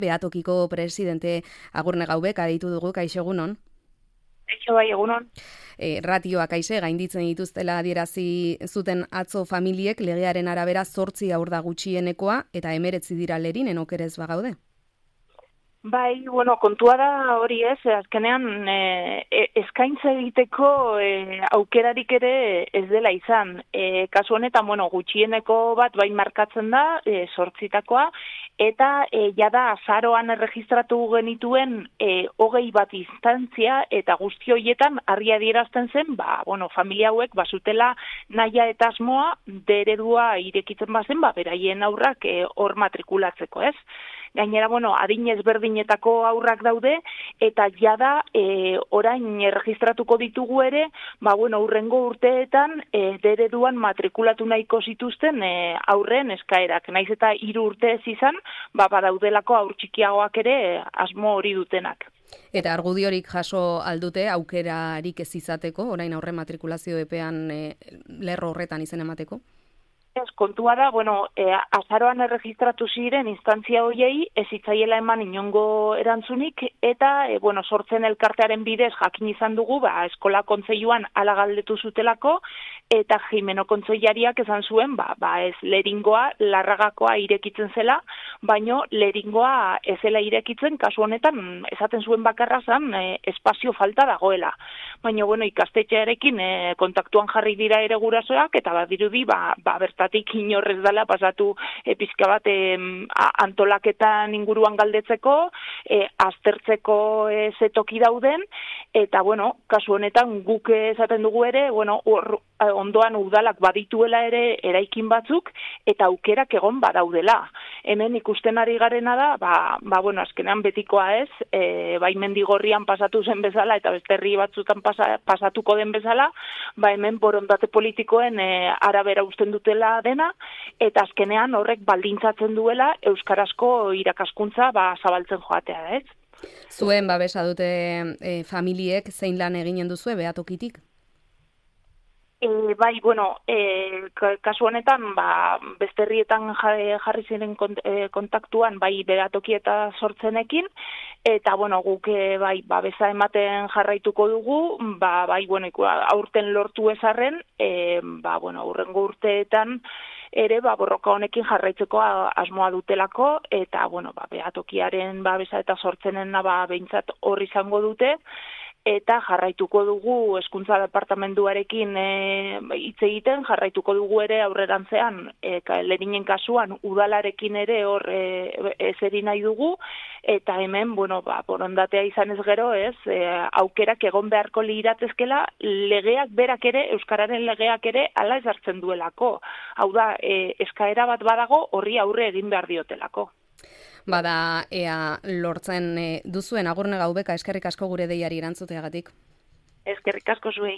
Beatokiko presidente Agurne Gaubek aditu dugu, kaixo egunon. Kaixo bai, egunon. Ratioak gainditzen dituztela adierazi zuten atzo familiek legearen arabera 8 haur da gutxienekoa eta 19 dira lerinen okerez bagaude. Bai, kontua da hori ez, azkenean eskaintza egiteko aukerarik ere ez dela izan. Kasu honetan, gutxieneko bat bai markatzen da, 8takoa, eta jada azaroan erregistratu genituen 20 bat instantzia, eta guzti horietan argi adierazten zen, familia hauek bazutela nahia eta asmoa eredua irekitzen bazen, beraien aurrak hor matrikulatzeko, ez? Gainera, adin ezberdinetako aurrak daude, eta jada orain erregistratuko ditugu ere, hurrengo urteetan ereduan matrikulatu nahiko zituzten aurren eskaerak. Naiz eta 3 urte ez izan, badaudelako aur txikiagoak ere asmo hori dutenak. Eta argudiorik jaso aldute aukerarik ez izateko, orain aurren matrikulazio epean lerro horretan izen emateko? Kontua da, azaroan erregistratu ziren instantzia hoiei ez zitzaiela eman inongo erantzunik, eta, sortzen elkartearen bidez jakin izan dugu, eskola kontseiluan hala galdetu zutelako, eta Jimeno kontseilariak esan zuen, ez leringoa, Larragakoa irekitzen zela, baino leringoa ez zela irekitzen, kasu honetan, esaten zuen bakarra zan, espazio falta dagoela. Baina, ikastetxearekin kontaktuan jarri dira ere gurasoak, eta badirudi, bertatik inorrez dela pasatu pizka bat antolaketan inguruan galdetzeko, aztertzeko zetoki dauden, eta, kasu honetan guk esaten dugu ere, ondoan udalak badituela ere eraikin batzuk, eta aukerak egon badaudela. Hemen ikusten ari garena da, azkenean betikoa ez, bai Mendigorrian pasatu zen bezala, eta beste herri batzutan pasatuko den bezala, hemen borondate politikoen arabera usten dutela dena, eta azkenean horrek baldintzatzen duela euskarazko irakaskuntza zabaltzen joatea, ez? Zuen babesa dute familiek zein lan eginen duzue Beatokitik? Kasu honetan, beste herrietan jarri ziren kontaktuan, Beatoki eta Sortzenekin, eta, guk, babesa ematen jarraituko dugu, aurten lortu ezarren, hurrengo urteetan, ere, borroka honekin jarraitzeko asmoa dutelako, eta, Beatokiaren babesa eta Sortzenen behintzat hor izango dute, eta jarraituko dugu hezkuntza departamentuarekin hitz egiten, jarraituko dugu ere aurrerantzean, lerinen kasuan udalarekin ere hor ezeri nahi dugu, eta hemen, borondatea izan ez gero, ez, aukerak egon beharko liratezkela, legeak berak ere, euskararen legeak ere, hala ezartzen duelako. Hau da, eskaera bat badago, horri aurre egin behar diotelako. Bada, ea lortzen duzuen Agurne Gaubeka, eskerrik asko gure deiari erantzuteagatik. Eskerrik asko zuei.